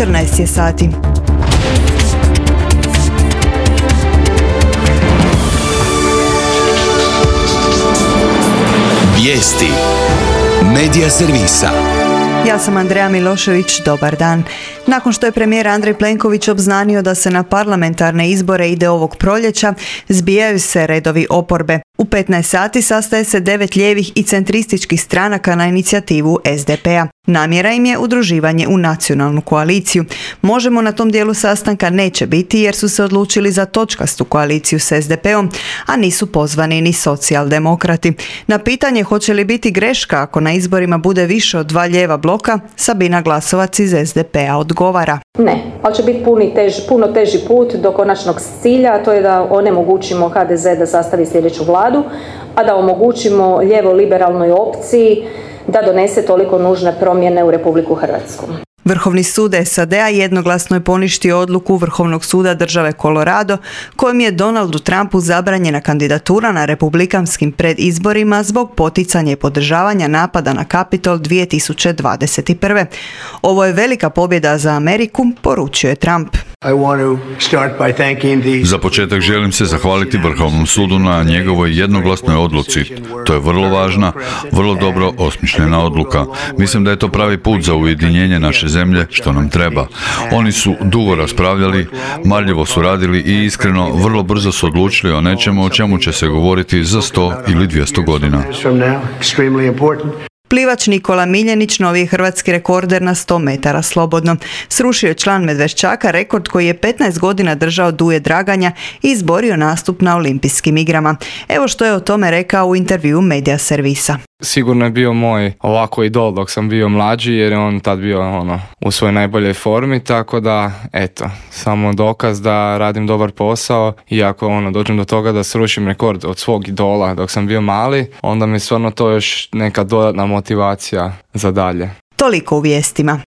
14 je sati. Vijesti Medija servisa. Ja sam Andreja Milošević, dobar dan. Nakon što je premijer Andrej Plenković obznanio da se na parlamentarne izbore ide ovog proljeća, zbijaju se redovi oporbe. U 15 sati sastaje se 9 lijevih i centrističkih stranaka na inicijativu SDP-a. Namjera im je udruživanje u nacionalnu koaliciju. Možemo na tom dijelu sastanka neće biti jer su se odlučili za točkastu koaliciju s SDP-om, a nisu pozvani ni socijaldemokrati. Na pitanje hoće li biti greška ako na izborima bude više od 2 lijeva bloka, Sabina Glasovac iz SDP-a odgovara. Ne, ali će biti puno teži put do konačnog cilja, a to je da onemogućimo HDZ da sastavi sljedeću vladu, a da omogućimo lijevo-liberalnoj opciji da donese toliko nužne promjene u Republiku Hrvatsku. Vrhovni sud SAD-a jednoglasno je poništio odluku Vrhovnog suda države Colorado kojom je Donaldu Trumpu zabranjena kandidatura na republikanskim predizborima zbog poticanja i podržavanja napada na Kapitol 2021. Ovo je velika pobjeda za Ameriku, poručio je Trump. Za početak želim se zahvaliti Vrhovnom sudu na njegovoj jednoglasnoj odluci. To je vrlo važna, vrlo dobro osmišljena odluka. Mislim da je to pravi put za ujedinjenje naše zemlje, što nam treba. Oni su dugo raspravljali, marljivo su radili i iskreno vrlo brzo su odlučili o nečemu o čemu će se govoriti za 100 ili 200 godina. Plivač Nikola Miljenić novi je hrvatski rekorder na 100 metara slobodno. Srušio je član Medveščaka rekord koji je 15 godina držao Duje Draganja i izborio nastup na Olimpijskim igrama. Evo što je o tome rekao u intervjuu Medija servisa. Sigurno je bio moj ovako idol dok sam bio mlađi jer je on tad bio u svojoj najboljoj formi, tako da samo dokaz da radim dobar posao i ako dođem do toga da srušim rekord od svog idola dok sam bio mali, onda mi stvarno to još neka dodatna motivacija za dalje. Toliko u vijestima.